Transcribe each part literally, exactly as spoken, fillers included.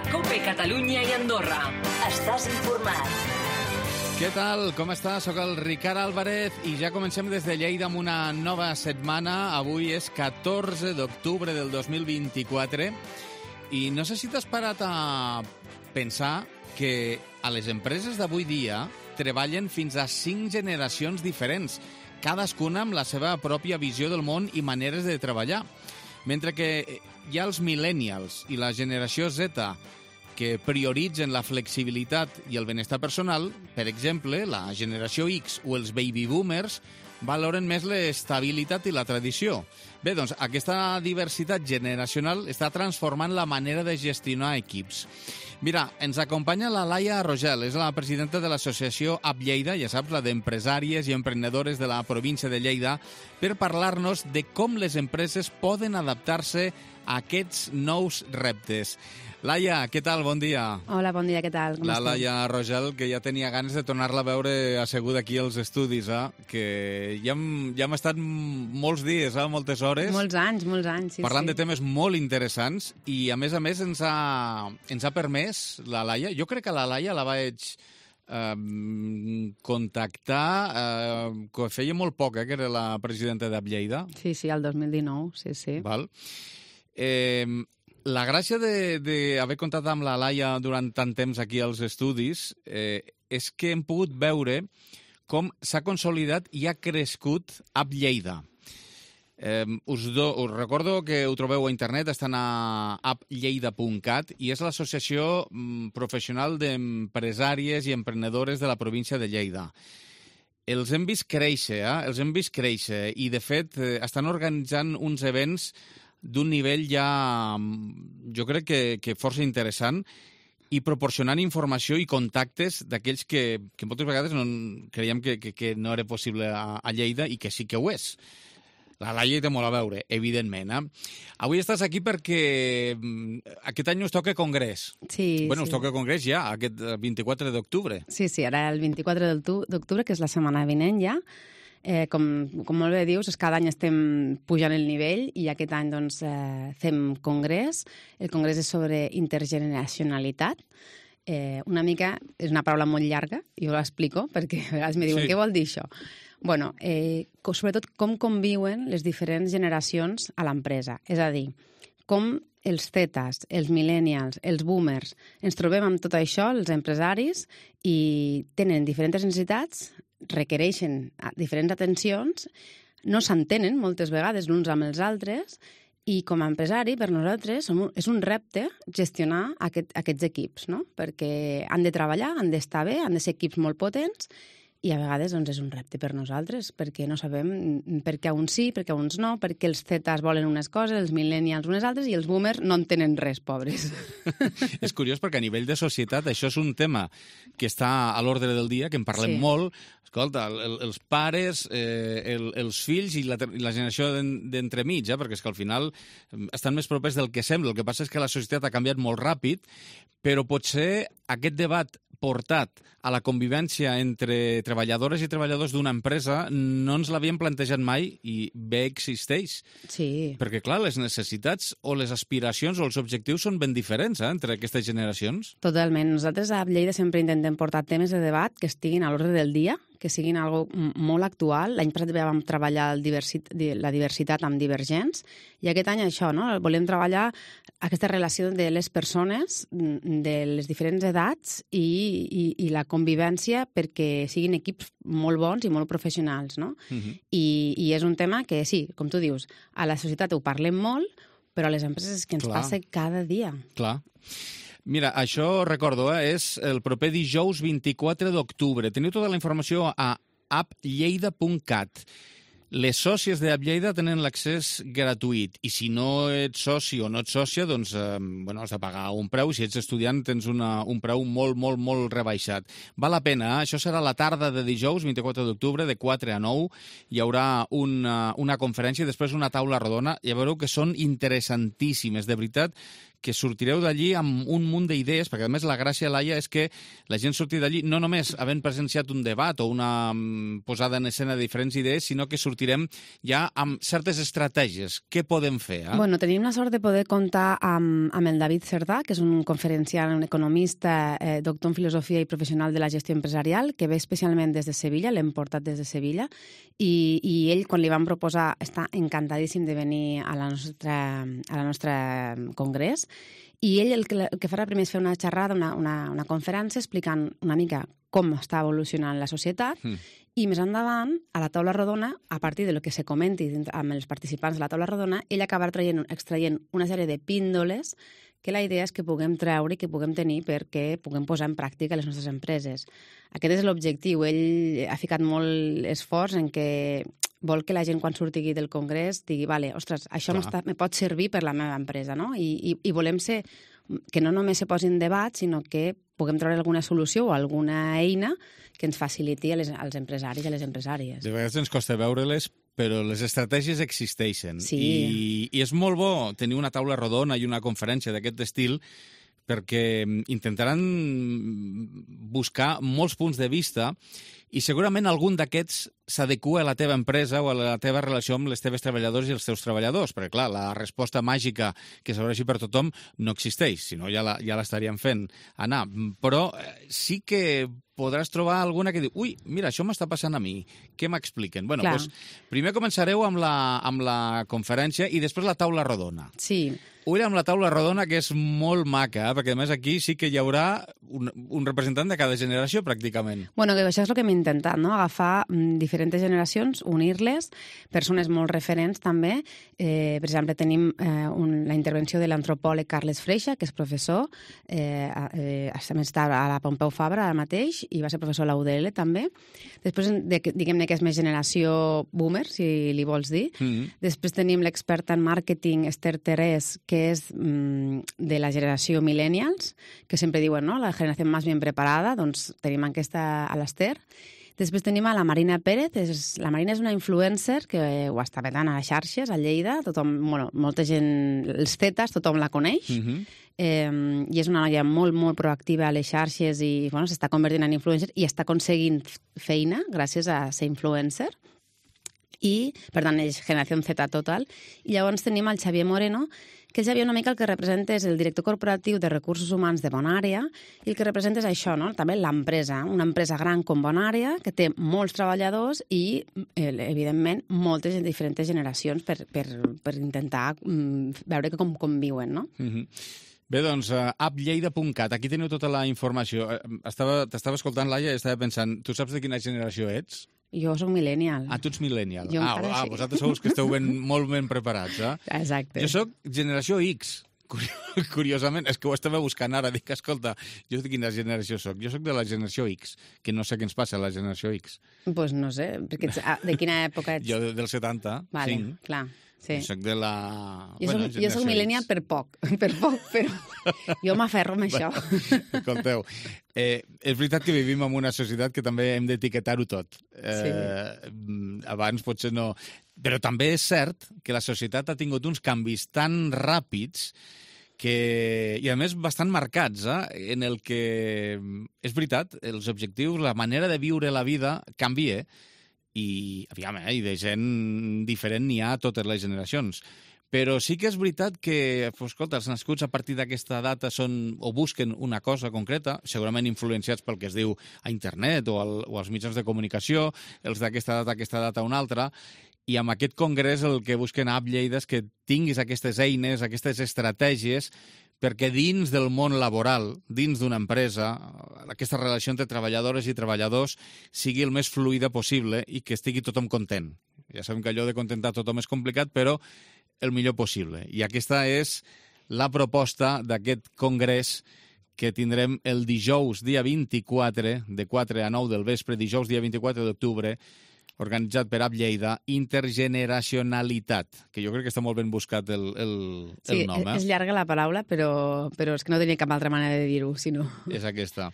COPE Catalunya i Andorra. Estàs informat. Què tal? Com estàs? Soc el Ricard Álvarez i ja comencem des de Lleida amb una nova setmana. Avui és catorze d'octubre del dos mil vint-i-quatre i no sé si t'has parat a pensar que a les empreses d'avui dia treballen fins a cinc generacions diferents, cadascuna amb la seva pròpia visió del món i maneres de treballar. Mentre que hi ha els millennials i la generació Z que prioritzen la flexibilitat i el benestar personal, per exemple, la generació X o els baby boomers valoren més l'estabilitat i la tradició. Bé, doncs, aquesta diversitat generacional està transformant la manera de gestionar equips. Mira, ens acompanya la Laia Rogel, és la presidenta de l'associació A P Lleida, ja saps, la d'empresàries i emprenedores de la província de Lleida, per parlar-nos de com les empreses poden adaptar-se a aquests nous reptes. Laia, què tal? Bon dia. Hola, bon dia, què tal? Com la esteu? Laia Rogel, que ja tenia ganes de tornar-la a veure asseguda aquí als estudis, eh? Que ja hem, ja hem estat molts dies, eh? Moltes hores. Molts anys, molts anys, sí, parlant sí. de temes molt interessants i, a més a més, ens ha, ens ha permès la Laia, jo crec que la Laia la vaig eh, contactar, eh, que feia molt poc, eh, que era la presidenta d'A P Lleida. Sí, sí, el dos mil dinou, sí, sí. Val. Eh, la gràcia d'haver comptat amb la Laia durant tant temps aquí als estudis eh, és que hem pogut veure com s'ha consolidat i ha crescut A P Lleida. Eh, us, do, us recordo que ho trobeu a internet, estan a a p lleida punt cat i és l'associació mm, professional d'empresàries i emprenedores de la província de Lleida. Els hem vist créixer, eh? Els hem vist créixer i, de fet, eh, estan organitzant uns events d'un nivell ja, jo crec que, que força interessant i proporcionant informació i contactes d'aquells que, que moltes vegades no, creiem que, que, que no era possible a, a Lleida i que sí que ho és. La Laia hi té molt a veure, evidentment. Eh? Avui estàs aquí perquè aquest any us toca congrés. Sí, bueno, sí. us toca congrés ja, aquest vint-i-quatre d'octubre. Sí, sí, ara el vint-i-quatre d'octubre, que és la setmana vinent ja. Eh, com, com molt bé dius, és cada any estem pujant el nivell i aquest any doncs, eh, fem congrés. El congrés és sobre intergeneracionalitat. Eh, una mica, és una paraula molt llarga, jo l'explico, perquè a vegades me diuen, sí. Què vol dir això? Bueno, eh, sobretot com conviuen les diferents generacions a l'empresa. És a dir, com els zetas, els millennials, els boomers, ens trobem amb tot això, els empresaris, i tenen diferents necessitats, requereixen diferents atencions, no s'entenen moltes vegades l'uns amb els altres, i com a empresari, per nosaltres, és un repte gestionar aquest, aquests equips, no? Perquè han de treballar, han d'estar bé, han de ser equips molt potents, i a vegades doncs, és un repte per nosaltres, perquè no sabem per què uns sí, per què uns no, perquè els zetas volen unes coses, els millennials unes altres, i els boomers no en tenen res, pobres. És curiós perquè a nivell de societat això és un tema que està a l'ordre del dia, que en parlem sí. molt. Escolta, el, els pares, eh, el, els fills i la, i la generació d'entremig, eh? Perquè és que al final estan més propers del que sembla. El que passa és que la societat ha canviat molt ràpid, però potser aquest debat portat a la convivència entre treballadores i treballadors d'una empresa no ens l'havíem plantejat mai i bé existeix. Sí. Perquè, clar, les necessitats o les aspiracions o els objectius són ben diferents eh, entre aquestes generacions. Totalment. Nosaltres a Lleida sempre intentem portar temes de debat que estiguin a l'ordre del dia, que siguin algo molt actual. L'any passat vam treballar el diversit, la diversitat amb divergents i aquest any això, no? Volem treballar aquesta relació de les persones, de les diferents edats i, i, i la convivència perquè siguin equips molt bons i molt professionals, no? Uh-huh. I, I és un tema que, sí, com tu dius, a la societat ho parlem molt, però a les empreses és que ens Clar. Passa cada dia. Clar. Mira, això, recordo, eh, és el proper dijous vint-i-quatre d'octubre. Teniu tota la informació a a p lleida punt cat. Les sòcies de A P Lleida tenen l'accés gratuït i si no ets soci o no ets sòcia, doncs eh, bueno, has de pagar un preu. Si ets estudiant tens una, un preu molt, molt, molt rebaixat. Val la pena, eh? Això serà la tarda de dijous, vint-i-quatre d'octubre, de quatre a nou. Hi haurà una, una conferència i després una taula rodona. Ja veureu que són interessantíssimes, de veritat, que sortireu d'allí amb un munt d'idees, perquè a més la gràcia, Laia, és que la gent surti d'allí no només havent presenciat un debat o una posada en escena de diferents idees, sinó que sortirem ja amb certes estratègies. Què podem fer? Eh? Bueno, tenim la sort de poder comptar amb, amb el David Cerdà, que és un conferenciant, un economista, eh, doctor en filosofia i professional de la gestió empresarial, que ve especialment des de Sevilla, l'hem portat des de Sevilla, i, i ell, quan li van proposar, està encantadíssim de venir a la nostra, a la nostra congrés, i ell el que, el que farà primer és fer una xerrada, una, una, una conferència explicant una mica com està evolucionant la societat, mm. i més endavant, a la taula rodona, a partir de lo que se comenti amb els participants de la taula rodona, ell acabarà traient, extraient una sèrie de píndoles que la idea és que puguem treure i que puguem tenir perquè puguem posar en pràctica les nostres empreses. Aquest és l'objectiu. Ell ha ficat molt esforç en que vol que la gent, quan surti del congrés, digui, vale, ostres, això me pot servir per la meva empresa, no? I, i, i volem ser que no només se posi en debat, sinó que puguem treure alguna solució o alguna eina que ens faciliti a les, als empresaris i a les empresàries. De vegades ens costa veure-les, però les estratègies existeixen. Sí. I, I és molt bo tenir una taula rodona i una conferència d'aquest estil, perquè intentaran buscar molts punts de vista i segurament algun d'aquests s'adequa a la teva empresa o a la teva relació amb les teves treballadors i els teus treballadors, perquè, clar, la resposta màgica que s'ofereixi per tothom no existeix, si no ja la, ja l'estaríem fent anar. Però sí que podràs trobar alguna que diu, ui, mira, això m'està passant a mi, què m'expliquen? Bueno, doncs, primer començareu amb la, amb la conferència i després la taula rodona. Sí. Ull amb la taula rodona, que és molt maca, eh? Perquè a més aquí sí que hi haurà un, un representant de cada generació, pràcticament. Bueno, que això és el que hem intentat, no? Agafar mm, diferents generacions, unir-les, persones molt referents també. Eh, per exemple, tenim eh, un, la intervenció de l'antropòleg Carles Freixa, que és professor, eh, eh, està a la Pompeu Fabra ara mateix, i va ser professor a la U D L també. Després, de, diguem-ne que és més generació boomer, si li vols dir. Mm-hmm. Després tenim l'experta en màrqueting, Esther Terès, que és mm, de la generació millennials, que sempre diuen, no?, la generació més ben preparada, doncs tenim aquesta a l'Esther. Després tenim a la Marina Pérez. És, la Marina és una influencer que ho està petant a les xarxes, a Lleida. Tothom, bueno, molta gent, els zetas, tothom la coneix. Mm-hmm. eh, I és una noia molt, molt proactiva a les xarxes i bueno, s'està convertint en influencer i està aconseguint feina gràcies a ser influencer. I, per tant, és generació Z total. I llavors tenim el Xavier Moreno, que el Xavier una mica el que representa és el director corporatiu de recursos humans de Bonària, i el que representa és això, no?, també l'empresa, una empresa gran com Bonària, que té molts treballadors i, evidentment, moltes diferents generacions per, per, per intentar mm, veure com conviuen, no? Mm-hmm. Bé, doncs, uh, app lleida punt cat, aquí teniu tota la informació. Estava, t'estava escoltant, Laia, i estava pensant, tu saps de quina generació ets? Jo soc millennial. Ah, tu ets millennial. Jo ah, ah, vosaltres sou els que esteu ben, molt ben preparats, eh? Exacte. Jo soc generació X, curiosament. És que ho estava buscant ara. Dic, escolta, jo de quina generació soc? Jo soc de la generació X, que no sé què ens passa a la generació X. Doncs pues no sé, perquè ets, de quina època ets? Jo del setanta, vale, cinc. Clar. Sí. Jo soc de la... Jo soc, bueno, jo soc millennial per poc, per poc, però jo m'aferro amb això. Escolteu, eh, és veritat que vivim en una societat que també hem d'etiquetar-ho tot. Eh, sí. Abans potser no... Però també és cert que la societat ha tingut uns canvis tan ràpids que, i a més bastant marcats, eh, en el que, és veritat, els objectius, la manera de viure la vida canvia, i, aviam, eh, i de gent diferent n'hi ha a totes les generacions. Però sí que és veritat que, escolta, els nascuts a partir d'aquesta data són o busquen una cosa concreta, segurament influenciats pel que es diu a internet o, al, o als mitjans de comunicació, els d'aquesta data, aquesta data, una altra, i amb aquest congrés el que busquen a App Lleida és que tinguis aquestes eines, aquestes estratègies, perquè dins del món laboral, dins d'una empresa, aquesta relació entre treballadores i treballadors sigui el més fluida possible i que estigui tothom content. Ja sabem que allò de contentar tothom és complicat, però el millor possible. I aquesta és la proposta d'aquest congrés que tindrem el dijous, dia vint-i-quatre, de quatre a nou del vespre, dijous, dia vint-i-quatre d'octubre, organitzat per App Lleida, Intergeneracionalitat, que jo crec que està molt ben buscat el, el, sí, el nom. Eh? És llarga la paraula, però, però és que no tenia cap altra manera de dir-ho, si no. És aquesta.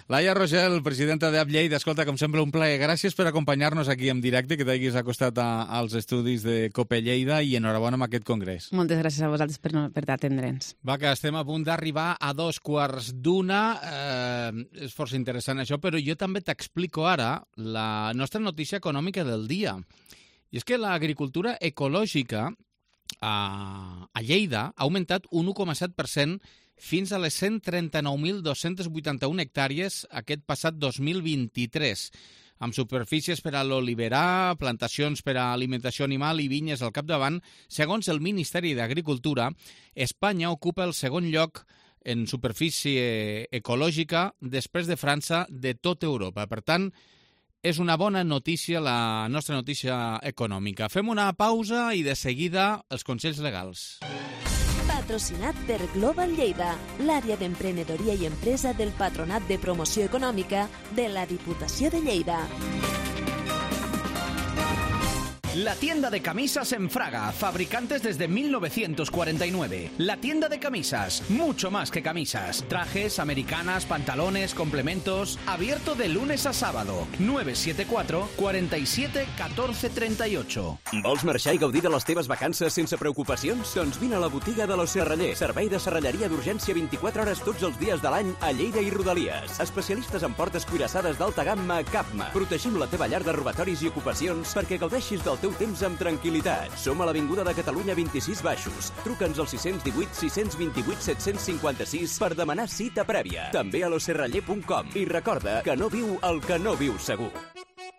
Laia Rogel, presidenta d'A P Lleida, escolta, com sempre, un plaer. Gràcies per acompanyar-nos aquí en directe, que t'hagis acostat a, als estudis de COPE Lleida i enhorabona amb aquest congrés. Moltes gràcies a vosaltres per, no, per atendre'ns. Va, que estem a punt d'arribar a dos quarts d'una. Eh, és força interessant això, però jo també t'explico ara la nostra notícia econòmica del dia. I és que l'agricultura ecològica a, a Lleida ha augmentat un un coma set per cent fins a les cent trenta-nou mil dos-cents vuitanta-un hectàrees aquest passat dos mil vint-i-tres, amb superfícies per a l'oliverar, plantacions per a alimentació animal i vinyes al capdavant. Segons el Ministeri d'Agricultura, Espanya ocupa el segon lloc en superfície ecològica després de França de tota Europa. Per tant, és una bona notícia la nostra notícia econòmica. Fem una pausa i de seguida els consells legals. Patrocinat per Global Lleida, l'àrea d'emprenedoria i empresa del Patronat de Promoció Econòmica de la Diputació de Lleida. La tienda de camisas en Fraga, fabricantes desde mil novecientos cuarenta y nueve. La tienda de camisas, mucho más que camisas. Trajes, americanas, pantalones, complementos. Abierto de lunes a sábado. nueve siete cuatro, cuatro siete, uno cuatro tres ocho. Vols marxar i gaudir de les teves vacances sense preocupacions? Doncs vine a la botiga de l'O Serraller. Servei de serralleria d'urgència vint-i-quatre hores tots els dies de l'any a Lleida i Rodalies. Especialistes en portes cuirassades d'alta gamma Capma. Protegim la teva llar de robatoris i ocupacions perquè gaudeixis del teu temps amb tranquil·litat. Som a l'Avinguda de Catalunya vint-i-sis Baixos. Truca'ns al sis cents divuit, sis cents vint-i-vuit, set cents cinquanta-sis per demanar cita prèvia. També a lo serraller punt com. I recorda que no viu el que no viu segur.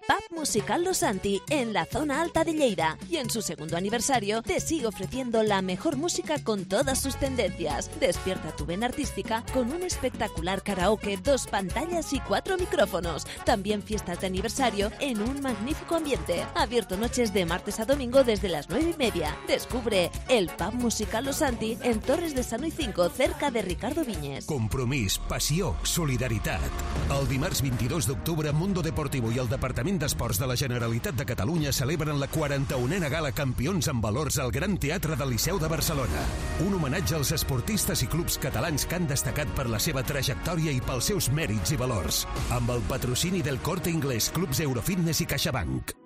Pub Musical Los Santi, en la zona alta de Lleida, y en su segundo aniversario te sigue ofreciendo la mejor música con todas sus tendencias. Despierta tu vena artística con un espectacular karaoke, dos pantallas y cuatro micrófonos. También fiestas de aniversario en un magnífico ambiente. Abierto noches de martes a domingo desde las nueve y media. Descubre el Pub Musical Los Santi en Torres de Sano y cinco, cerca de Ricardo Viñes. Compromís, passió, solidaritat. El dimarts vint-i-dos d'octubre, Mundo Deportivo i el Departament d'Esports de la Generalitat de Catalunya celebren la quaranta-unena gala Campions en Valors al Gran Teatre del Liceu de Barcelona. Un homenatge als esportistes i clubs catalans que han destacat per la seva trajectòria i pels seus mèrits i valors. Amb el patrocini del Corte Inglés, Clubs Eurofitness i CaixaBank.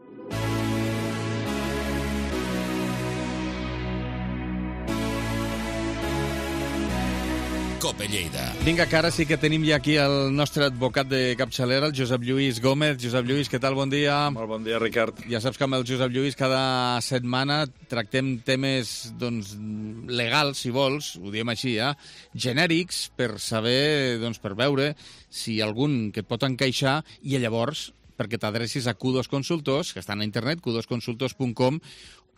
COPE Lleida. Vinga, que ara sí que tenim ja aquí el nostre advocat de capçalera, el Josep Lluís Gómez. Josep Lluís, què tal? Bon dia. Molt bon dia, Ricard. Ja saps que amb el Josep Lluís cada setmana tractem temes doncs, legals, si vols, ho diem així, eh? genèrics, per saber, doncs, per veure si algun que et pot encaixar i llavors perquè t'adrecis a Q dos Consultors, que estan a internet, q dos consultors punt com,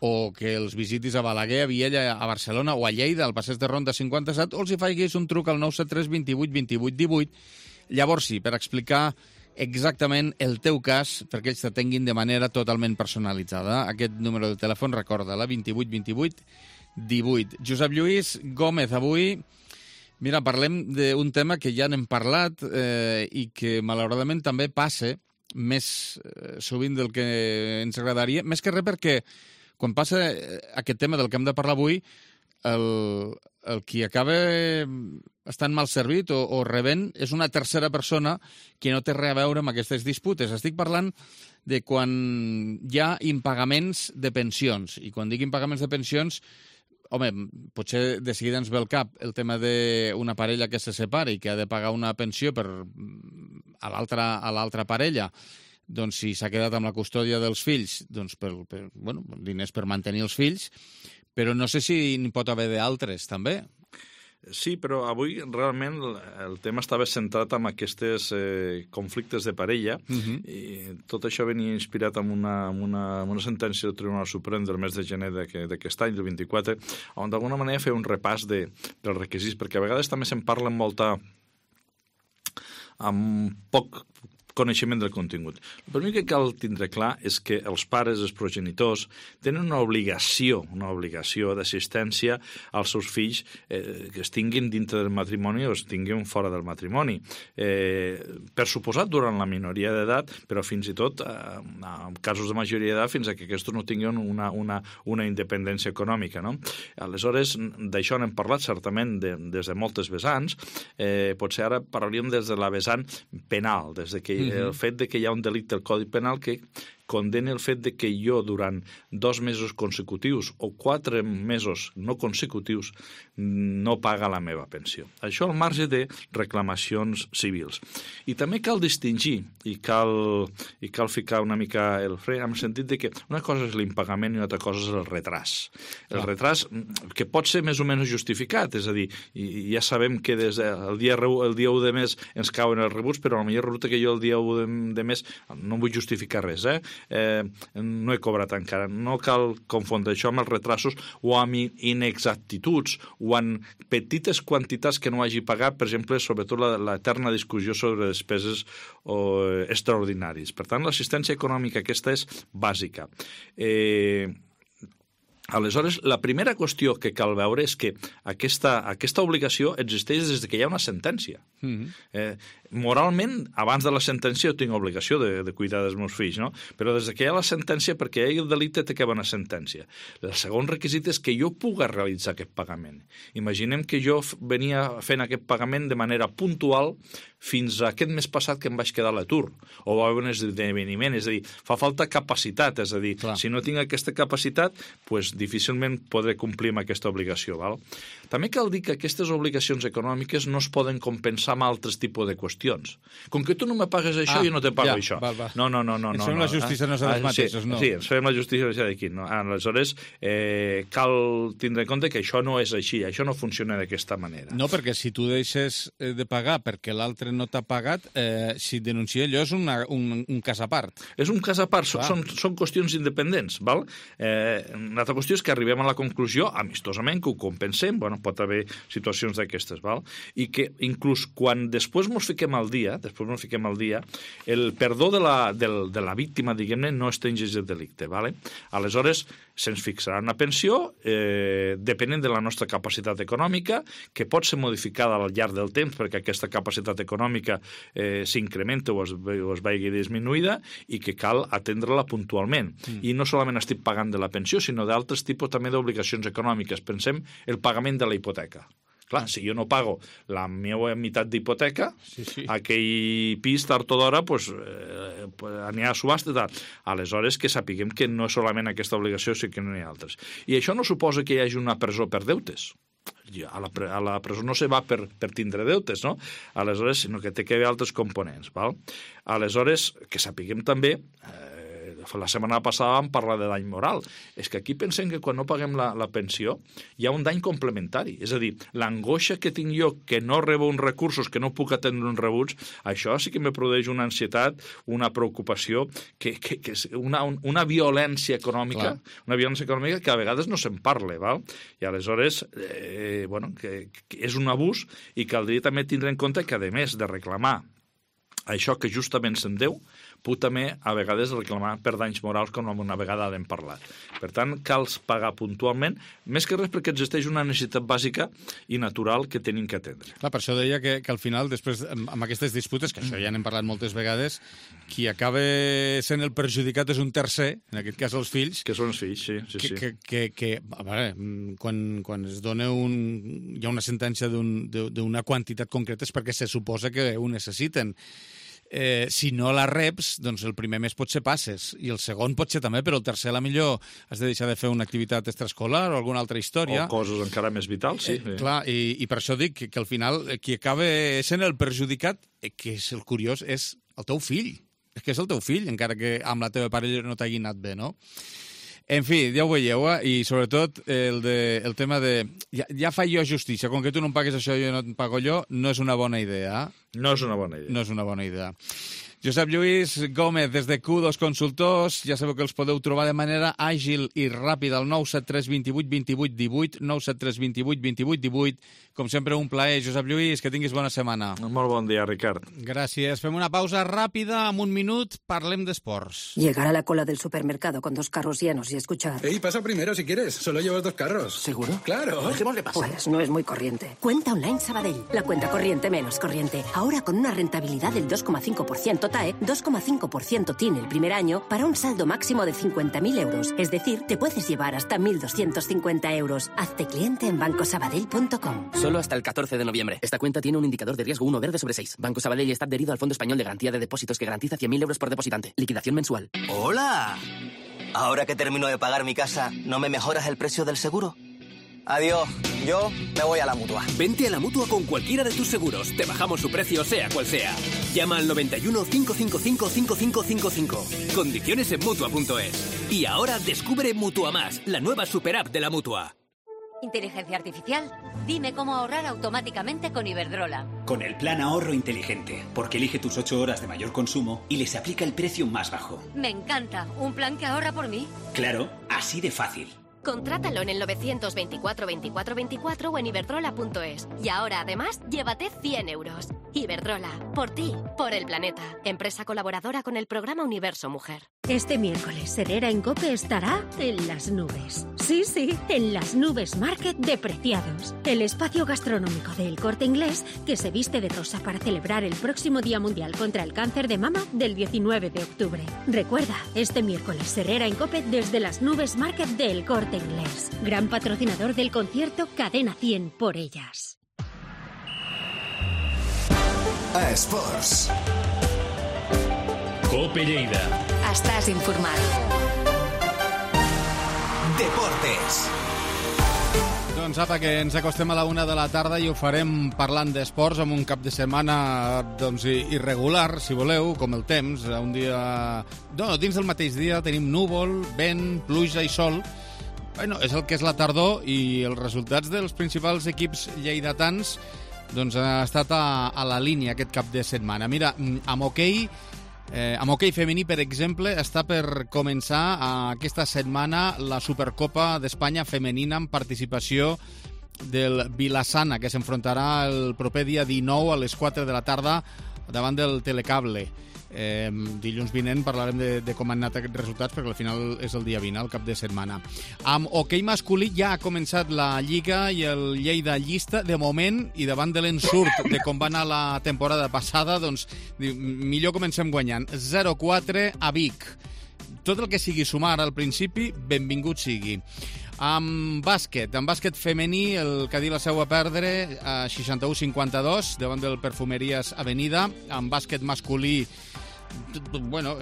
o que els visitis a Balaguer, a Viella, a Barcelona o a Lleida, al passeig de Ronda cinquanta-set, o els hi faiguis un truc al nou set tres dos vuit vint vuit divuit. Llavors sí, per explicar exactament el teu cas, perquè ells t'atenguin de manera totalment personalitzada. Aquest número de telèfon, recorda-la, vint vuit vint vuit divuit. Josep Lluís Gómez, avui, mira, parlem d'un tema que ja n'hem parlat eh, i que malauradament també passa més eh, sovint del que ens agradaria, més que res perquè quan passa aquest tema del que hem de parlar avui, el, el qui acaba estant mal servit o, o rebent és una tercera persona que no té res a veure amb aquestes disputes. Estic parlant de quan hi ha impagaments de pensions. I quan dic impagaments de pensions, home, potser de seguida ens ve al cap el tema d'una parella que se separa i que ha de pagar una pensió per, a l'altra a l'altra parella. Doncs si s'ha quedat amb la custòdia dels fills, doncs per, per bueno, diners per mantenir els fills, però no sé si n'hi pot haver d'altres, també. Sí, però avui realment el tema estava centrat en aquests eh, conflictes de parella. Uh-huh. I tot això venia inspirat en una, en una, en una sentència del Tribunal Suprem del mes de gener d'aquest any, del vint-i-quatre, on d'alguna manera feia un repàs de, dels requisits, perquè a vegades també se'n parla molta amb poc coneixement del contingut. El primer que cal tindre clar és que els pares, els progenitors, tenen una obligació, una obligació d'assistència als seus fills eh, que es tinguin dintre del matrimoni o es tinguin fora del matrimoni. Eh, per suposat, durant la minoria d'edat, però fins i tot, eh, en casos de majoria d'edat, fins a que aquests no tinguin una, una, una independència econòmica. No? Aleshores, d'això n'hem parlat certament de, des de moltes vessants. Eh, potser ara parlaríem des de la vessant penal, des de que el fet de que hi ha un delicte al Codi Penal que condena el fet de que jo durant dos mesos consecutius o quatre mesos no consecutius no paga la meva pensió. Això al marge de reclamacions civils. I també cal distingir i cal, i cal ficar una mica el fre en el sentit de que una cosa és l'impagament i una altra cosa és el retras. El ah. retras que pot ser més o menys justificat, és a dir, ja sabem que des del dia, el dia u de mes ens cauen els rebuts, però a la millor resulta que jo el dia u de, de mes no vull justificar res, eh? Eh, no he cobrat encara. No cal confondre això amb els retrasos o amb inexactituds o amb petites quantitats que no hagi pagat, per exemple, sobretot l'eterna discussió sobre despeses o, extraordinaris. Per tant, l'assistència econòmica aquesta és bàsica. Eh... Aleshores, la primera qüestió que cal veure és que aquesta, aquesta obligació existeix des que hi ha una sentència. Mm-hmm. eh, moralment, abans de la sentència jo tinc obligació de, de cuidar dels meus fills, no? Però des que hi ha la sentència, perquè hi ha el delicte, té que haver una sentència. El segon requisit és que jo puga realitzar aquest pagament. Imaginem que jo venia fent aquest pagament de manera puntual fins a aquest mes passat que em vaig quedar a l'atur, o va haver un esdeveniment, és a dir, fa falta capacitat, és a dir, Clar. si no tinc aquesta capacitat, pues, difícilment podré complir amb aquesta obligació. Val? També cal dir que aquestes obligacions econòmiques no es poden compensar amb altres tipus de qüestions. Com que tu no me pagues això, ah, jo no te pago ja, això. Va, va. No, no, no. no ens no, fem no, la justícia no, no ah, els mateixos, sí, no? Sí, ens fem la justícia d'aquí. No? Aleshores, eh, cal tindre en compte que això no és així, això no funciona d'aquesta manera. No, perquè si tu deixes de pagar perquè l'altre no t'ha pagat, eh, si et denuncia allò és una, un, un cas a part. És un cas a part, són, són qüestions independents. Val? Eh, una altra qüestió és que arribem a la conclusió, amistosament, que ho compensem, bueno, pot haver situacions d'aquestes, val? I que inclús quan després ens fiquem al dia, després ens fiquem al dia, el perdó de la, de, de la víctima, diguem-ne, no extingeix el delicte, vale? Aleshores, se'ns fixarà una pensió eh, depenent de la nostra capacitat econòmica, que pot ser modificada al llarg del temps perquè aquesta capacitat econòmica eh, s'incrementa o es, o es vagi disminuïda i que cal atendre-la puntualment. Mm. I no solament estic pagant de la pensió, sinó d'altres tipus també d'obligacions econòmiques. Pensem el pagament de la hipoteca. Clar, si jo no pago la meva meitat d'hipoteca, sí, sí. aquell pis, tard o d'hora, pues, eh, anirà a subhasta i tal. Aleshores, que sapiguem que no és solament aquesta obligació, sinó que no hi ha altres. I això no suposa que hi hagi una presó per deutes. A la, a la presó no se va per, per tindre deutes, no? Aleshores, sinó que té que haver altres components, val? Aleshores, que sapiguem també... Eh, la setmana passada vam parlar de dany moral. És que aquí pensem que quan no paguem la, la pensió hi ha un dany complementari. És a dir, l'angoixa que tinc jo que no rebo uns recursos, que no puc atendre uns rebuts, això sí que me produeix una ansietat, una preocupació, que, que, que és una, una violència econòmica, Clar. una violència econòmica que a vegades no se'n parla, val? I aleshores, eh, bueno, que, que és un abús i caldria també tindre en compte que, a més de reclamar això que justament se'n deu, puc també a vegades reclamar per danys morals com una vegada hem parlat. Per tant, cal pagar puntualment, més que res perquè existeix una necessitat bàsica i natural que tenim que atendre. Clar, per això deia que, que al final, després, amb aquestes disputes, que això ja n'hem parlat moltes vegades, qui acaba sent el perjudicat és un tercer, en aquest cas els fills. Que són els fills, sí. sí, que, sí. Que, que, que a veure, quan, quan es dona un, hi ha una sentència d'una un, quantitat concreta és perquè se suposa que ho necessiten. Eh, si no la reps, doncs el primer mes pot ser passes, i el segon pot ser també, però el tercer a la millor has de deixar de fer una activitat extraescolar o alguna altra història. O coses encara més vitals, sí. Eh, clar, i, i per això dic que, que al final qui acaba sent el perjudicat, que és el curiós, és el teu fill. És que és el teu fill, encara que amb la teva parella no t'hagi anat bé, no? En fi, ja ho veieu, eh? I sobretot el, de, el tema de... Ja, ja faig jo justícia, com que tu no em pagues això i jo no et pago jo, no és una bona idea. No és una bona idea. No és una bona idea. Josep Lluís Gómez, des de Q dos Consultors. Ja sabeu que els podeu trobar de manera àgil i ràpida al nou set tres dos vuit dos vuit un vuit, nou set tres dos vuit dos vuit un vuit. Com sempre, un plaer. Josep Lluís, que tinguis bona setmana. Molt bon dia, Ricard. Gràcies. Fem una pausa ràpida. En un minut parlem d'esports. Llegar a la cola del supermercado con dos carros llenos y escuchar... Ey, pasa primero si quieres. Solo llevas dos carros. ¿Seguro? Claro. Dejémosle pasar. Pues no es muy corriente. Cuenta Online Sabadell. La cuenta corriente menos corriente. Ahora con una rentabilidad del dos coma cinco por ciento T A E, dos coma cinco por ciento T I N el primer año para un saldo máximo de cincuenta mil euros. Es decir, te puedes llevar hasta mil doscientos cincuenta euros. Hazte cliente en banco sabadell punto com. Solo hasta el catorce de noviembre. Esta cuenta tiene un indicador de riesgo uno verde sobre seis. Banco Sabadell está adherido al Fondo Español de Garantía de Depósitos que garantiza cien mil euros por depositante. Liquidación mensual. ¡Hola! Ahora que termino de pagar mi casa, ¿no me mejoras el precio del seguro? Adiós, yo me voy a la Mutua. Vente a la Mutua con cualquiera de tus seguros. Te bajamos su precio sea cual sea. Llama al noventa y uno, cinco cinco cinco, cinco cinco cinco cinco. Condiciones en Mutua punto es. Y ahora descubre Mutua Más, la nueva super app de la Mutua. Inteligencia artificial, dime cómo ahorrar automáticamente con Iberdrola. Con el plan ahorro inteligente, porque elige tus ocho horas de mayor consumo y les aplica el precio más bajo. Me encanta, un plan que ahorra por mí. Claro, así de fácil. Contrátalo en el novecientos veinticuatro veinticuatro veinticuatro o en iberdrola punto es. Y ahora, además, llévate cien euros. Iberdrola, por ti, por el planeta. Empresa colaboradora con el programa Universo Mujer. Este miércoles, Herrera en COPE estará en las nubes. Sí, sí, en las nubes Market de Preciados. El espacio gastronómico del Corte Inglés que se viste de rosa para celebrar el próximo Día Mundial contra el Cáncer de Mama del diecinueve de octubre. Recuerda, este miércoles, Herrera en COPE desde las nubes Market del Corte Inglés. Gran patrocinador del concierto Cadena cien por ellas. A Esports. COPE Lleida. Estàs informat. Deportes. Doncs apa, que ens acostem a la una de la tarda i ho farem parlant d'esports amb un cap de setmana doncs, irregular, si voleu, com el temps. Un dia... No, dins del mateix dia tenim núvol, vent, pluja i sol. Bueno, és el que és la tardor i els resultats dels principals equips lleidatans doncs, ha estat a, a la línia aquest cap de setmana. Mira, amb hoquei, eh, amb hoquei femení, per exemple, està per començar eh, aquesta setmana la Supercopa d'Espanya femenina amb participació del Vilassana, que s'enfrontarà el proper dia dinou a les quatre de la tarda davant del Telecable. Eh, dilluns vinent parlarem de, de com han anat aquests resultats, perquè al final és el dia vint, el cap de setmana. Amb hoquei masculí ja ha començat la Lliga i el Lleida llista, de moment, i davant de l'ensurt de com va anar la temporada passada, doncs millor comencem guanyant. zero quatre a Vic. Tot el que sigui sumar al principi, benvingut sigui. Amb bàsquet, amb bàsquet femení, el Cadí la seu a perdre a seixanta-u cinquanta-dos davant del Perfumeries Avenida. Amb bàsquet masculí, bueno,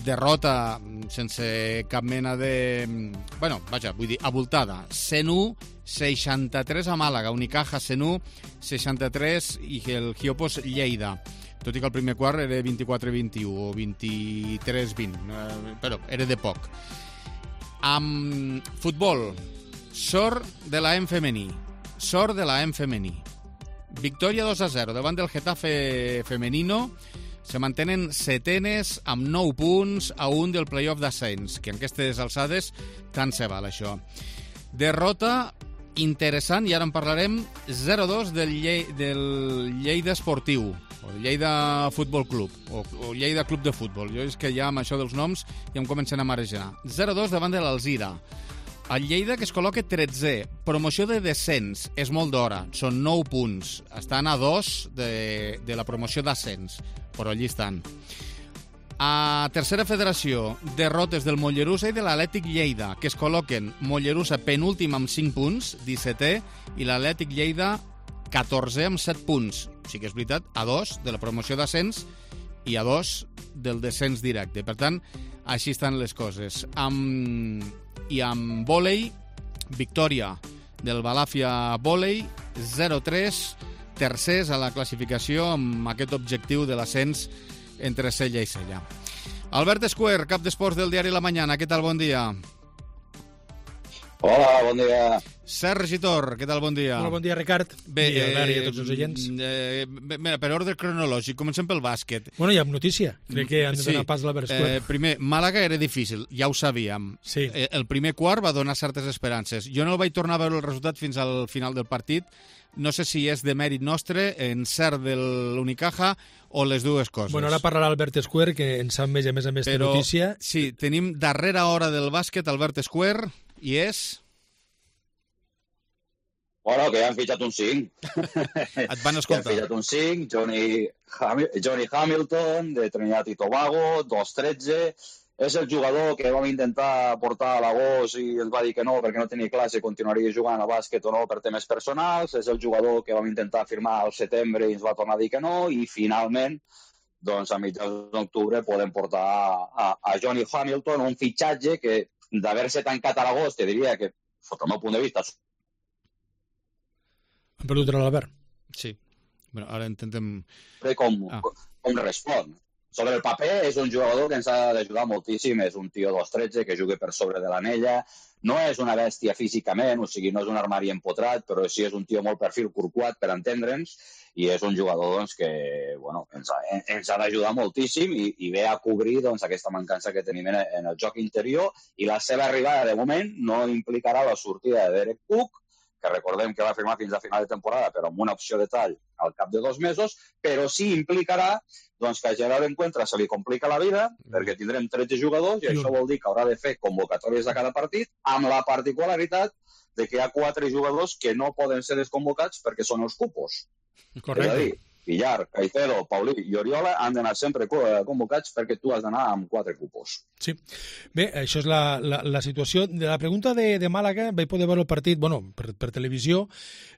derrota sense cap mena de... Bueno, vaja, vull dir, abultada. cent u seixanta-tres a Màlaga, Unicaja cent u seixanta-tres i el Giopos Lleida. Tot i que el primer quart era vint-i-quatre vint-i-u o vint-i-tres vint, però era de poc. Amb futbol, sort de la E M femení. Sort de la E M femení. Victòria dos a zero davant del Getafe femenino. Se mantenen setenes amb nou punts a un del playoff d'ascens, que en aquestes alçades tant se val, això. Derrota interessant, i ara en parlarem, zero a dos del, Lle del Lleida Esportiu, o Lleida Futbol Club, o, o Lleida Club de Futbol. Jo és que ja amb això dels noms ja em comencen a marejar. zero a dos davant de l'Alzira. El Lleida, que es col·loca tretzè, promoció de descens, és molt d'hora, són nou punts, estan a dos de, de la promoció d'ascens, però allí estan. A tercera federació, derrotes del Mollerussa i de l'Atlètic Lleida, que es col·loquen Mollerussa penúltim amb cinc punts, dissetè, i l'Atlètic Lleida catorzè amb set punts. Sí que és veritat, a dos de la promoció d'ascens i a dos del descens directe. Per tant, així estan les coses. Amb... I amb vòlei, victòria del Balàfia Vòlei, zero a tres, tercers a la classificació amb aquest objectiu de l'ascens entre Sella i Sella. Albert Escuer, cap d'esports del diari La Mañana, què tal? Bon dia. Hola, bon dia. Sergi Tor, què tal? Bon dia. Hola, bon dia, Ricard. Bé, I Albert i a tots els oients. Eh, bé, per ordre cronològic, comencem pel bàsquet. Bueno, hi ha notícia. Crec que han de donar sí. pas a l'Albert Square. Eh, primer, Màlaga era difícil, ja ho sabíem. Sí. Eh, el primer quart va donar certes esperances. Jo no el vaig tornar a veure el resultat fins al final del partit. No sé si és de mèrit nostre, encert de l'Unicaja, o les dues coses. Bueno, ara parlarà Albert Square, que en sap més, a més a més, de notícia. Sí, tenim darrera hora del bàsquet, Albert Square, i és... Bueno, que ja han fitxat un cinc. Et van escoltar. Ja han fitxat un cinc, Johnny, Ham Johnny Hamilton, de Trinidad i Tobago, dos tretze. És el jugador que vam intentar portar a l'agost i ens va dir que no, perquè no tenia clar si continuaria jugant a bàsquet o no per temes personals. És el jugador que vam intentar firmar al setembre i ens va tornar a dir que no. I finalment, doncs a mitjans d'octubre podem portar a, a Johnny Hamilton, un fitxatge que d'haver-se tancat a l'agost, te diria que, sota el meu punt de vista... Han perdut l'Albert. Sí. Bueno, ara intentem... Com, ah. com respon. Sobre el paper és un jugador que ens ha d'ajudar moltíssim, és un tio dos tretze que juga per sobre de l'anella, no és una bèstia físicament, o sigui, no és un armari empotrat, però sí és un tio molt perfil curquat, per entendre'ns, i és un jugador doncs, que bueno, ens ha, ens ha d'ajudar moltíssim i, i ve a cobrir doncs, aquesta mancança que tenim en, en el joc interior, i la seva arribada, de moment, no implicarà la sortida de Derek Cook, que recordem que va firmar fins a final de temporada, però amb una opció de tall al cap de dos mesos, però sí implicarà doncs, que a Gerard Encuentra se li complica la vida, perquè tindrem tretze jugadors, i això vol dir que haurà de fer convocatòries de cada partit, amb la particularitat de que hi ha quatre jugadors que no poden ser desconvocats perquè són els cupos. Correcte. És a dir, Villar, Caicedo, Paulí i Oriola han d'anar sempre convocats perquè tu has d'anar amb quatre cupos. Sí. Bé, això és la, la, la situació. De la pregunta de, de Màlaga, vaig poder veure el partit, bueno, per, per televisió.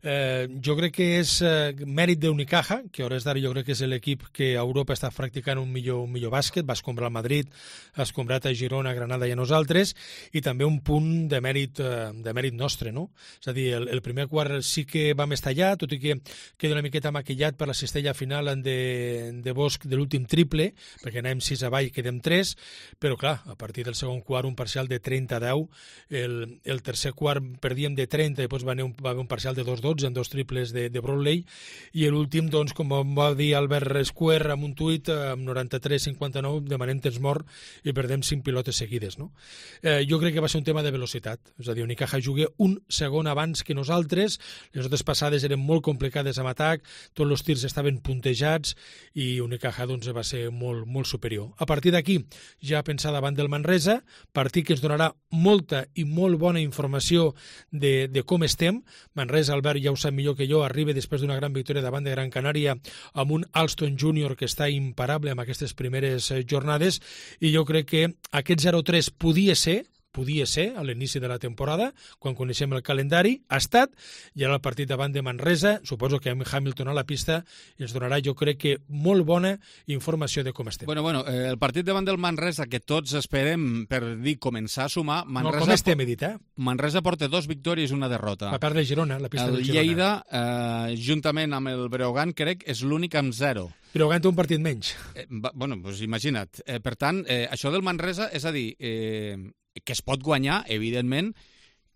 Eh, jo crec que és eh, mèrit d'Unicaja, que a hores d'ara jo crec que és l'equip que a Europa està practicant un millor, un millor bàsquet. Va escombrar el Madrid, ha escombrat a Girona, a Granada i a nosaltres, i també un punt de mèrit, eh, de mèrit nostre, no? És a dir, el, el primer quart sí que vam estallar, tot i que queda una miqueta maquillat per la cistella final de, de Bosch de l'últim triple, perquè anem sis avall i quedem tres, però clar, a partir del segon quart un parcial de trenta a deu, el, el tercer quart perdíem de trenta i després va haver un, va haver un parcial de dos dotze en dos triples de, de Brownlee, i l'últim, doncs, com va dir Albert Square amb un tuit, amb noranta-tres cinquanta-nou, demanem temps mort i perdem cinc pilotes seguides, no? Eh, jo crec que va ser un tema de velocitat, és a dir, Unicaja juga un segon abans que nosaltres, les altres passades eren molt complicades amb atac, tots els tirs estaven puntejats i Unicaja doncs, va ser molt, molt superior. A partir d'aquí, ja pensar davant del Manresa, partit que ens donarà molta i molt bona informació de, de com estem. Manresa, Albert ja ho sap millor que jo, arriba després d'una gran victòria davant de Gran Canària amb un Alston júnior que està imparable amb aquestes primeres jornades, i jo crec que aquest zero tres podia ser podia ser a l'inici de la temporada, quan coneixem el calendari, ha estat, i ara el partit davant de Manresa, suposo que amb Hamilton a la pista, ens donarà, jo crec que, molt bona informació de com estem. Bueno, bueno, eh, el partit davant del Manresa, que tots esperem, per dir, començar a sumar... Manresa, no, com estem, he dit, eh? Manresa porta dos victòries i una derrota. A part de Girona, la pista el de Girona. El Lleida, eh, juntament amb el Breogán, crec, és l'únic amb zero. Breogán té un partit menys. Eh, va, bueno, doncs imagina't. Eh, per tant, eh, això del Manresa, és a dir... Eh, que es pot guanyar, evidentment,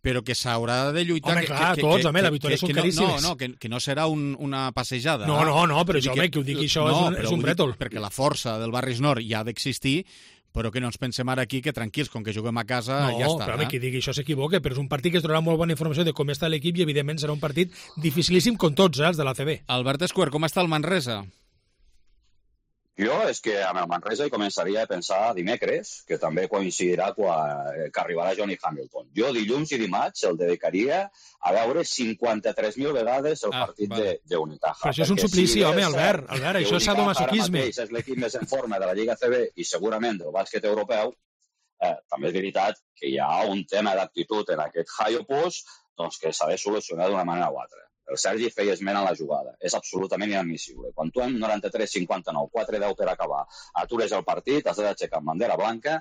però que s'haurà de lluitar... Home, que, clar, que, tots, que, home, que, la victòria són no, caríssimes. No, no, que, que no serà un, una passejada. No, no, no, però això, home, que ho digui això no, és un, és un brètol. Perquè la força del Barris Nord ja ha d'existir, però que no ens pensem ara aquí que tranquils, com que juguem a casa, no, ja està. No, però home, eh? qui digui això s'equivoca, però és un partit que es donarà molt bona informació de com està l'equip i, evidentment, serà un partit dificilíssim com tots, eh, els de l'A C B. Albert Square, com està el Manresa? Jo és que amb el Manresa hi començaria a pensar dimecres, que també coincidirà quan, que arribarà Johnny Hamilton. Jo dilluns i dimarts el dedicaria a veure cinquanta-tres mil vegades el ah, partit vale. d'Unicaja. Però això és un suplici, si home, Albert, Albert, això és sadomasoquisme. És l'equip més en forma de la Lliga C B i segurament del bàsquet europeu. Eh, també és veritat que hi ha un tema d'actitud en aquest high opus doncs, que s'ha de solucionar d'una manera o altra. El Sergi feia esment a la jugada. És absolutament inadmissible. Quan tu en noranta-tres cinquanta-nou, quatre deu per acabar, atures el partit, has d'aixecar amb bandera blanca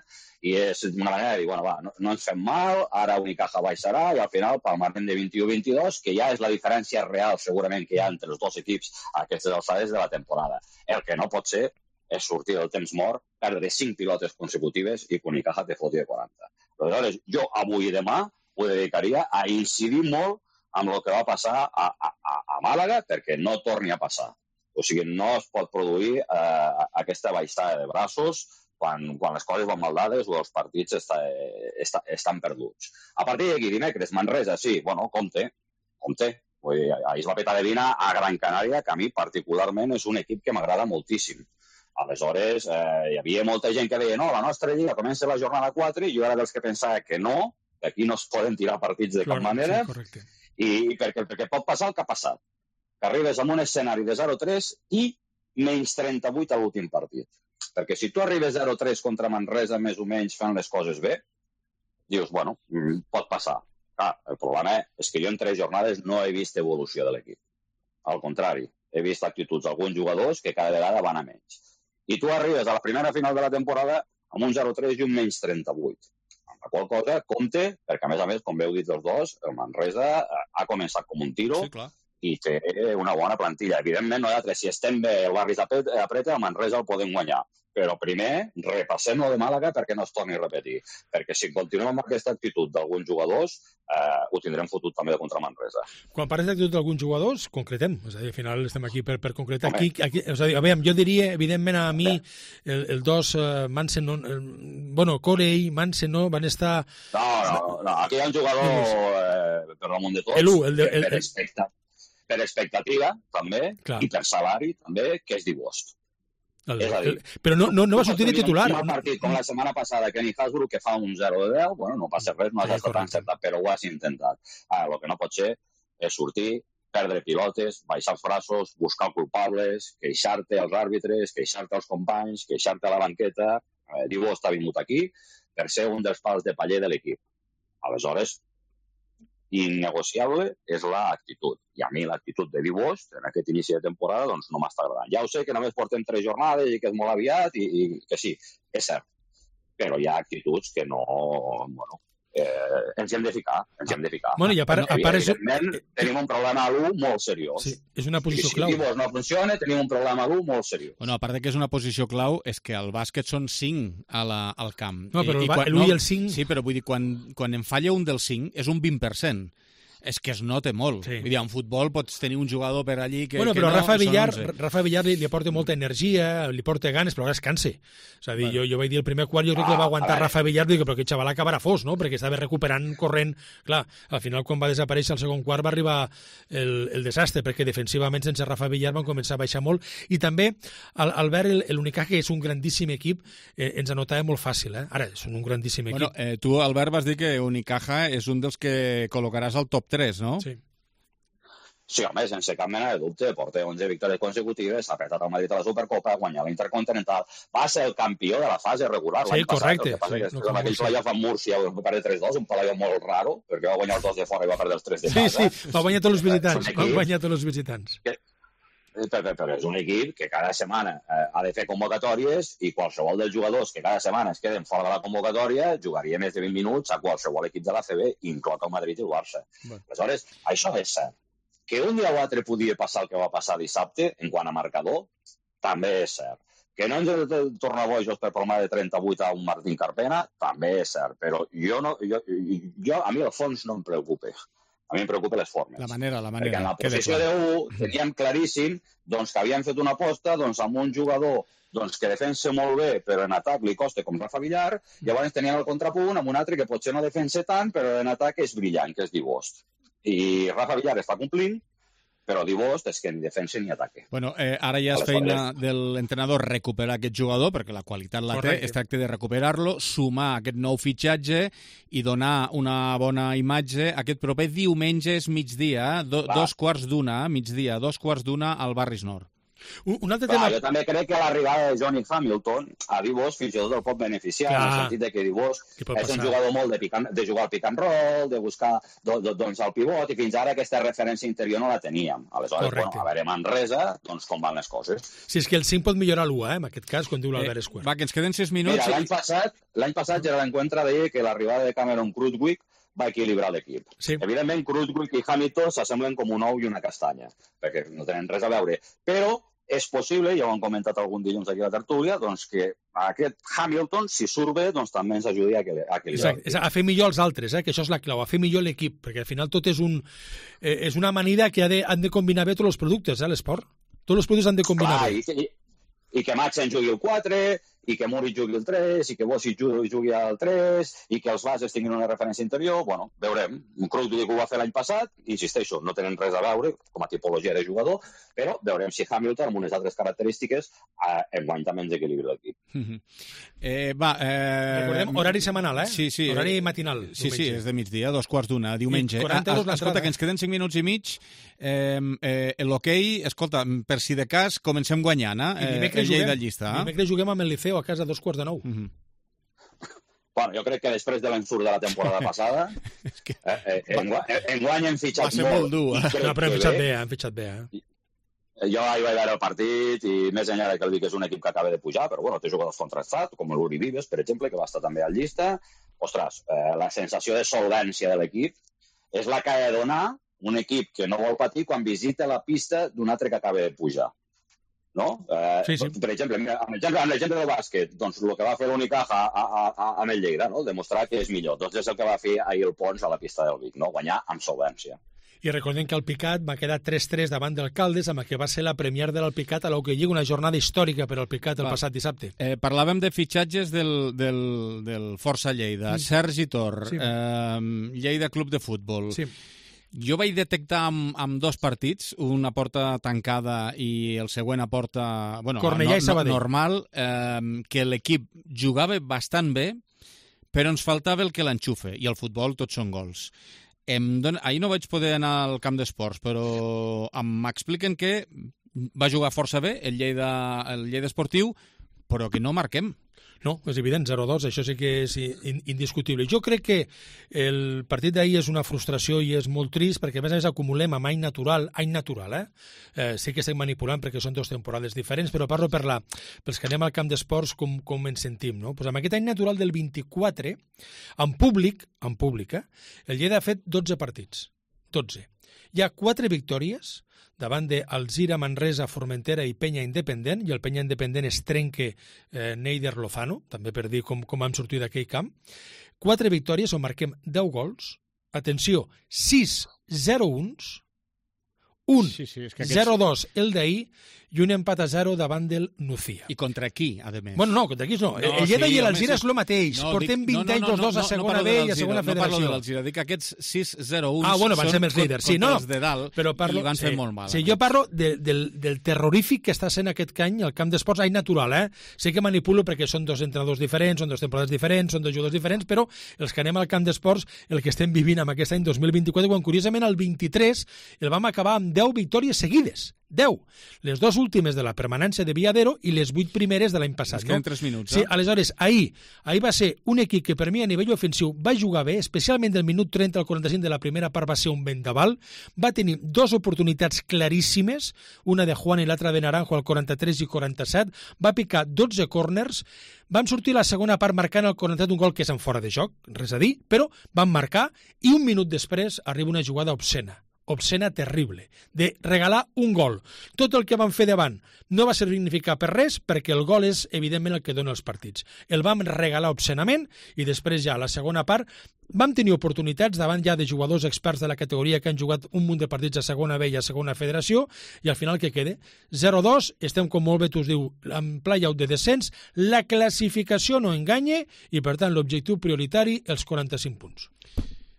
i és una manera de dir, bueno, va, no, no ens fem mal, ara Unicaja baixarà i al final palmarem de vint-i-u vint-i-dos, que ja és la diferència real segurament que hi ha entre els dos equips a aquestes alçades de la temporada. El que no pot ser és sortir del temps mort, perdre cinc pilotes consecutives i que Unicaja te foti de quaranta. Aleshores, jo avui i demà ho dedicaria a incidir molt amb el que va passar a, a, a Màlaga perquè no torni a passar. O sigui, no es pot produir eh, aquesta baixada de braços quan, quan les coses van mal dades o els partits està, està, estan perduts. A partir d'aquí, dimecres, Manresa, sí, bueno, compte, compte. Vull dir, ahir es va petar de vina a Gran Canària, que a mi particularment és un equip que m'agrada moltíssim. Aleshores, eh, hi havia molta gent que deia no, la nostra lliga comença la jornada quatre i jo era dels que pensava que no, que aquí no es poden tirar partits de cap Clar, manera, sí, correcte. i perquè, perquè pot passar el que ha passat. Que arribes amb un escenari de zero tres i menys trenta-vuit a l'últim partit. Perquè si tu arribes zero tres contra Manresa més o menys fent les coses bé, dius, bueno, pot passar. Ah, el problema és que jo en tres jornades no he vist evolució de l'equip. Al contrari, he vist actituds d'alguns jugadors que cada vegada van a menys. I tu arribes a la primera final de la temporada amb un zero tres i un menys trenta-vuit. Amb la qual cosa, compte, perquè a més a més, com heu dit els dos, el Manresa ha començat com un tiro, sí, clar, i té una bona plantilla. Evidentment, nosaltres, si estem bé, el barri apreta, el Manresa el podem guanyar. Però primer, repassem lo de Màlaga perquè no es torni a repetir. Perquè si continuem amb aquesta actitud d'alguns jugadors, eh, ho tindrem fotut també de contra Manresa. Quan parles d'actitud d'alguns jugadors, concretem. És a dir, al final estem aquí per, per concretar. Aquí, aquí, és a dir, a veure, jo diria, evidentment, a mi, el, el dos, uh, Mansen, no, el, bueno, Corey, Mansen, no, van estar... No, no, no, aquí hi ha un jugador eh, per damunt de tots, el, el, el, el, per, expecta, per expectativa, també, clar, i per salari, també, que és Dibost. El, és a dir, el, però no, no, no va sortir de titular. Un partit com la setmana passada, Kenny Hasbrook, que fa un zero de deu, bueno, no passa res, no has estat tan encertat, però ho has intentat. Ara, el que no pot ser és sortir, perdre pilotes, baixar els braços, buscar culpables, queixar-te als àrbitres, queixar-te als companys, queixar-te a la banqueta. Eh, Dibost ha vingut aquí per ser un dels pals de paller de l'equip. Aleshores, innegociable és l'actitud. I a mi l'actitud de Dibost en aquest inici de temporada doncs no m'està agradant. Ja ho sé que només portem tres jornades i que és molt aviat i, i que sí, és cert. Però hi ha actituds que no... Bueno, eh, ens hem de ficar, ens hem de ficar. Bueno, i a part, a part evidentment, és... tenim un problema a l'u molt seriós. Sí, és una posició si clau. Si Dibost no funciona, tenim un problema a l'u molt seriós. Bueno, a part de que és una posició clau, és que al bàsquet són cinc a la, al camp. No, però I, el, i quan, l'u no, i el cinc... Sí, però vull dir, quan, quan en falla un dels cinc, és un vint per cent. És que es nota molt. Sí. Vull dir, en futbol pots tenir un jugador per allí que, bueno, que però no... Rafa Villar, Rafa Villar li, li aporta molta energia, li porta ganes, però ara es cansa. És a dir, bueno. jo, jo vaig dir el primer quart, jo crec ah, que va aguantar Rafa Villar, dic, però aquest xaval acabarà fos, no? Perquè estava recuperant, corrent... Clar, al final, quan va desaparèixer el segon quart, va arribar el, el desastre, perquè defensivament, sense Rafa Villar, van començar a baixar molt. I també, al, al veure l'Unicaja, que és un grandíssim equip, eh, ens anotava molt fàcil, eh? Ara, són un grandíssim equip. Bueno, eh, tu, Albert, vas dir que Unicaja és un dels que col·locaràs al top tres, no? Sí. Sí, home, sense cap mena de dubte, porta onze victòries consecutives, s'ha apretat el Madrid a la Supercopa, ha guanyat l'Intercontinental, va ser el campió de la fase regular sí, l'any correcte. passat. El que passa sí, que no, és amb aquell playoff amb Múrcia, va perdre tres dos, un playoff molt raro, perquè va guanyar els dos de fora i va perdre els tres de casa. Sí, sí, va guanyar tots els visitants, va guanyar tots els visitants. Que, però, però és un equip que cada setmana eh, ha de fer convocatòries i qualsevol dels jugadors que cada setmana es queden fora de la convocatòria jugaria més de vint minuts a qualsevol equip de l'A C B, inclòs el Madrid i el Barça. Bueno. Aleshores, això és cert. Que un dia o altre podia passar el que va passar dissabte, en quant a marcador, també és cert. Que no ens hem de tornar bojos per problema de trenta-vuit a un Martín Carpena, també és cert. Però jo no, jo, jo, a mi el fons no em preocupa. A mi em preocupa les formes. La manera, la manera. Perquè en la posició de u teníem claríssim doncs, que havíem fet una aposta doncs, amb un jugador doncs, que defensa molt bé, però en atac li costa com Rafa Villar, llavors teníem el contrapunt amb un altre que potser no defensa tant, però en atac és brillant, que és Dibost. I Rafa Villar està complint, però Dibost és que ni defensa ni ataque. Bueno, eh, ara ja és feina de l'entrenador recuperar aquest jugador, perquè la qualitat la té, es tracta de recuperar-lo, sumar aquest nou fitxatge i donar una bona imatge. Aquest proper diumenge és migdia, do, dos quarts d'una, migdia, dos quarts d'una al Barris Nord. Un, un altre Clar, tema... Jo també crec que l'arribada de Johnny Hamilton a Dibost fins i tot el pot beneficiar, Clar. en el sentit de que Dibost és passar? un jugador molt de, pick and, de jugar al pick and roll, de buscar do, do, doncs, el pivot, i fins ara aquesta referència interior no la teníem. Aleshores, Correcte. bueno, a veure, Manresa, doncs com van les coses. Si és que el cinc pot millorar l'u, eh, en aquest cas, quan diu l'Albert eh, Esquer. Va, que ens queden sis minuts. Mira, l'any passat, l'any passat ja l'encuentra deia que l'arribada de Cameron Krutwig va equilibrar l'equip. Sí. Evidentment, Krutwig i Hamilton s'assemblen com un ou i una castanya, perquè no tenen res a veure. Però és possible, ja ho han comentat algun dilluns aquí a la tertúlia, doncs que aquest Hamilton, si surt bé, doncs també ens ajudi a equilibrar. Exacte, a fer millor els altres, eh? Que això és la clau, a fer millor l'equip, perquè al final tot és, un, eh, és una manera que ha de, han de combinar bé tots els productes, eh, l'esport. Tots els productes han de combinar Clar, bé. I, i, I que Maxen jugui el quatre, i que Muric jugui el tres, i que Bossi jugui, jugui el tres, i que els bases tinguin una referència interior, bueno, veurem. Un Krugli ho va fer l'any passat, insisteixo, no tenen res a veure com a tipologia de jugador, però veurem si Hamilton, amb unes altres característiques, eh, enguany també ens equilibra l'equip. Uh-huh. eh, va, eh... Recordem, horari setmanal, eh? Sí, sí. Horari matinal. Sí, sí, és de migdia, dos quarts d'una, diumenge. quaranta euros ah, escolta, que ens queden cinc minuts i mig. Eh, eh, L'hoquei, escolta, per si de cas, comencem guanyant, eh? El Lleida llista. Dimecres juguem amb el Liceo a casa a dos quarts de nou. Uh-huh. Bueno, jo crec que després de l'ensurt de la temporada passada, que... eh, eh, enguany, enguany hem fitxat molt. Va ser molt dur, eh? No, però hem fitxat bé, hem fitxat bé, eh? Jo ahir vaig veure el partit i més enllà que el Vic és un equip que acaba de pujar, però bueno, té jugadors contrastats, com l'Uri Vives, per exemple, que va estar també al llista. Ostres, eh, la sensació de solvència de l'equip és la que ha de donar un equip que no vol patir quan visita la pista d'un altre que acaba de pujar. No? Eh, sí, sí. Per exemple, mira, amb l'exemple, amb l'exemple del bàsquet, doncs el que va fer l'Unicaja a, a, a, amb el Lleida, no? Demostrar que és millor. Doncs és el que va fer ahir el Pons a la pista del Vic, no? Guanyar amb solvència. I recordem que el Picat va quedar tres tres davant del Caldes, amb el que va ser la premier de l'Alpicat a l'Hockey Lliga, una jornada històrica per al Picat el va. passat dissabte. Eh, parlàvem de fitxatges del, del, del Força Lleida. Sí. Sergi Tor, sí. eh, Lleida Club de Futbol. Sí. Jo vaig detectar amb, amb dos partits, una porta tancada i el següent a porta bueno, Cornellà no, i Sabadell. normal, eh, que l'equip jugava bastant bé, però ens faltava el que l'enxufe, i el futbol tots són gols. Em don... Ahir no vaig poder anar al camp d'esports, però m'expliquen que va jugar força bé el Lleida, el Lleida Esportiu, però que no marquem. No, és evident, zero dos, això sí que és indiscutible. Jo crec que el partit d'ahir és una frustració i és molt trist perquè, a més a més, acumulem amb any natural, any natural, eh? eh sí que estem manipulant perquè són dues temporades diferents, però parlo per la, pels que anem al camp d'esports com, com ens sentim, no? Pues amb aquest any natural del vint-i-quatre, en públic, en públic, eh? El Lleida ha fet dotze partits, dotze. Hi ha quatre victòries davant de Alzira, Manresa, Formentera i Penya Independent, i el Penya Independent es trenca eh, Neider Lozano, també per dir com, com hem sortit d'aquell camp. Quatre victòries on marquem deu gols. Atenció, sis zero u, un sí, sí, és que aquests... zero dos el d'ahir i un empat a zero davant del Nucía. I contra qui, a més? Bueno, no, contra qui no. no el Lleida sí, i l'Alzira és el mateix. No, Portem vint no, no, anys els dos no, no, a segona no B i a segona no federació. No parlo de l'Alzira, dic que aquests sis zero u ah, bueno, van són ser més líders. Sí, no, els de dalt però parlo, i van sí, fer molt mal. Sí, jo parlo de, del, del terrorífic que està sent aquest any al camp d'esports, any natural, eh? Sé que manipulo perquè són dos entrenadors diferents, són dos temporades diferents, són dos jugadors diferents, però els que anem al camp d'esports, el que estem vivint amb aquest any dos mil vint-i-quatre, quan curiosament el vint-i-tres el vam acabar amb deu victòries seguides. deu. Les dues últimes de la permanència de Viadero i les vuit primeres de l'any passat. Es queden no? tres minuts, sí, eh? Aleshores, ahir, ahir va ser un equip que per mi a nivell ofensiu va jugar bé, especialment del minut trenta al quaranta-cinc de la primera part va ser un vendaval, va tenir dues oportunitats claríssimes, una de Juan i l'altra de Naranjo al quaranta-tres i quaranta-set, va picar dotze corners, van sortir la segona part marcant al quaranta-set un gol que és en fora de joc, res a dir, però van marcar i un minut després arriba una jugada obscena. obscena terrible, de regalar un gol. Tot el que van fer davant no va significar per res, perquè el gol és, evidentment, el que dona els partits. El vam regalar obscenament i després ja, a la segona part, vam tenir oportunitats davant ja de jugadors experts de la categoria que han jugat un munt de partits a segona B i a segona federació, i al final què queda? zero dos, estem, com molt bé tu us diu, en play-out de descens, la classificació no enganya i, per tant, l'objectiu prioritari, els quaranta-cinc punts.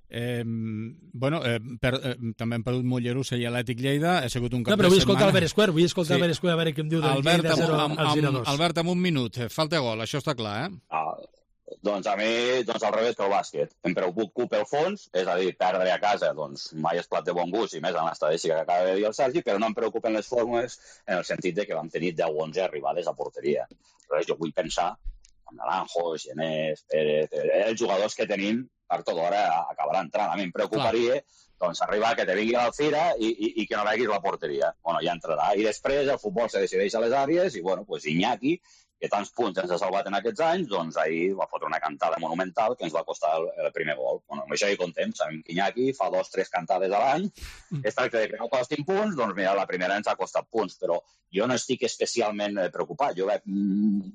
Eh, bueno, eh, per, eh, també hem perdut Mollerussa i Atlètic Lleida, ha sigut un cap no, però de vull setmana. escoltar Albert Esquer, vull escoltar sí. Albert Esquer a veure què em diu del Albert, Lleida zero amb, al zero dos. Albert, amb un minut, falta gol, això està clar, eh? Ah, doncs a mi, doncs al revés que el bàsquet. Em preocupa el fons, és a dir, perdre a casa, doncs mai és plat de bon gust, i més en l'estadística que acaba de dir el Sergi, però no em preocupen les formes en el sentit de que vam tenir deu onze arribades a porteria. Aleshores, jo vull pensar en Naranjo, Genés, Pérez, els jugadors que tenim per tota hora acabarà entrant. A mi em preocuparia doncs, arribar que te vingui l'Alzira i, i, i que no veguis la porteria. Bueno, ja entrarà. I després el futbol se decideix a les àrees i, bueno, pues Iñaki, que tants punts ens ha salvat en aquests anys, doncs ahir va fotre una cantada monumental que ens va costar el, el primer gol. Bueno, amb això hi contem, sabem que Iñaki fa dos, tres cantades a l'any, es tracta de que no costin punts, doncs mira, la primera ens ha costat punts, però jo no estic especialment preocupat. Jo veig mm,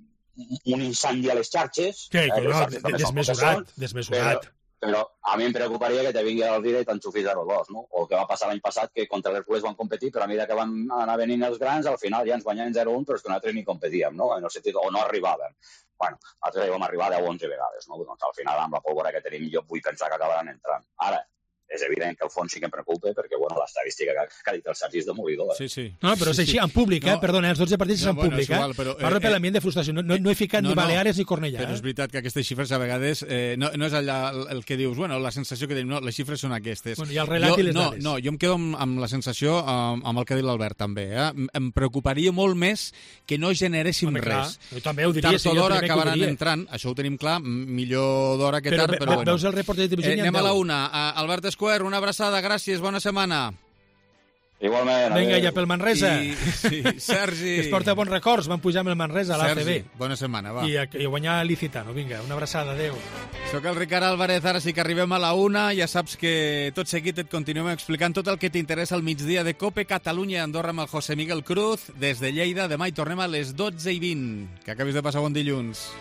un incendi a les xarxes. Sí, eh, no, desmesurat, desmesurat. Però, però a mi em preocuparia que te vingui al Vira i t'enxufis zero dos, no? O el que va passar l'any passat, que contra l'Hercules van competir, però a mesura que van anar venint els grans, al final ja ens guanyaven zero un, però és que nosaltres ni competíem, no? En el sentit, o no arribàvem. Bueno, nosaltres vam arribar deu o onze vegades, no? Doncs al final, amb la pólvora que tenim, jo vull pensar que acabaran entrant. Ara, és evident que el fons sí que em preocupa, perquè, bueno, l'estadística que, que ha dit el Sergi és demolidora. Sí, sí. No, però és sí, així, sí. en públic, eh? No, Perdona, els dotze partits no, són en bueno, públic, igual, eh? Però, Parlo eh, per l'ambient de frustració. No, no, no he ficat no, ni Baleares no, ni Cornellà. Però és veritat que aquestes xifres a vegades eh, no, no és allà el que dius, bueno, la sensació que tenim, no, les xifres són aquestes. Bueno, I el relat jo, i les no, dades. No, jo em quedo amb, amb la sensació, amb, amb el que ha dit l'Albert també, eh? Em preocuparia molt més que no generéssim Home, clar, res. Jo també ho diria. Tard o d'hora acabaran entrant, això ho tenim clar, millor d'hora que tard, però, però bueno. Veus el report de televisió? Eh, anem a la una. Uh, Albert Esquer, una abraçada, gràcies, bona setmana. Igualment. Vinga, ja pel Manresa. I, sí, Sergi. Que es porta bons records, van pujar amb el Manresa a l'A C B. Sergi, bona setmana, va. I, I guanyar l'Icitano. Vinga, una abraçada, adeu. Soc el Ricard Álvarez, ara sí que arribem a la una. Ja saps que tot seguit et continuem explicant tot el que t'interessa al migdia de COPE Catalunya Andorra amb el José Miguel Cruz. Des de Lleida, demà hi tornem a les dotze i vint. Que acabis de passar bon dilluns.